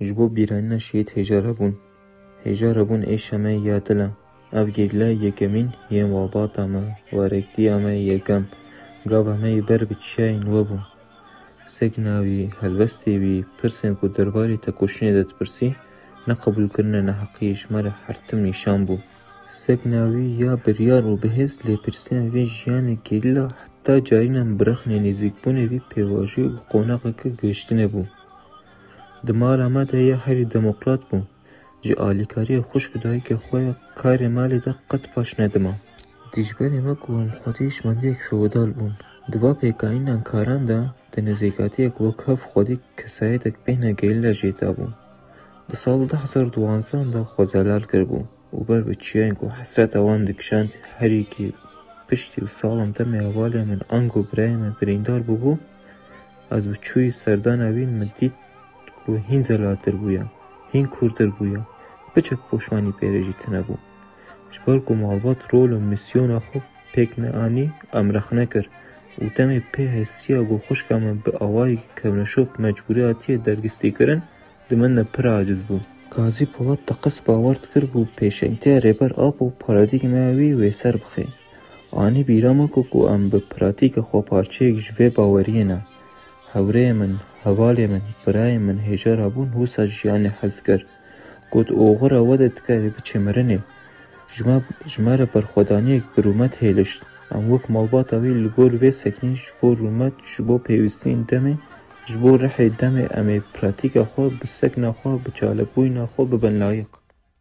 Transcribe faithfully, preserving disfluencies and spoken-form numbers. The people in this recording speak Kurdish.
Ji bo bîranîna şehîd hêja re bûn. Hêja re bûn êşa me ya dil e. Ev gerîla yekemîn yên malbata me, werektiya me yekem, gava me yê ber bi çiyayên we bû. Sekna wî, helwestê wî, pirsên ku derbarê tekoşînê de dipirsî, neqebûlkirina neheqiyê ji me re her tim nîşan bû. Sekna wî ya biryar û bihêz lêpirsîna vê jiyanê gerîla heta carînan birexnê nêzîkbûnê vî pêvajoyek û qonaxeke gihiştinê bû. Di mala me de ya herî demokrat bû. Ji alîkariya xwişk û dayikê xwe ya karê malê de qet paş nedima. Dijberê me ku em xwedî hişmendiyek feodal bûn. Di va pêkanînan karan de di nêzîkatiyek wek hev xwedî kesayetek bêhna gerîla jê dabû. Di sal du hezar duwazdeh de xwe zelal kiribû û ber bi çiyayên ku hesreta wan dikişand herî kê piştî û salan demê hevalê min ango birayê min birîndar bûbû, ez bi çûyî serdana wî min dît ku hîn zelaltir bûya, hîn kûrtir bûya, piçek poşmanî pê re jî tune bû. Ji ber ku malbat rol û mîsyona xwe pêk neanî, em rexne kir û demê pê hesiya ku xwişka min bi awayekî kevneşop mecbûrî hatiye dergistîkirin, di min de pir aciz bû. Gazî Polat teqez bawer dikir ku pêşengtiya Rêber Apo paradîgmaya wî wêser bixe. Anî bîra min ku, ku em bi pratîka xwe parçeyek ji vê baweriyê ne. Hewrêyê min, hevalê min, birayê min hêja rabûn wisa ji jiyanê hez dikir. Got, oxira we de dikarî biçê mirinê. Ji me, ji me re berxwedaniyek bi rûmet hêlişt. Em wek malbata wî li gor vê seknî ji bo rûmet, ji bo pêwîstiyên demê, ji bo rihê demê em ê pratîka xwe bi sekna xwe, bi çalakbûyîna xwe bibin layiq.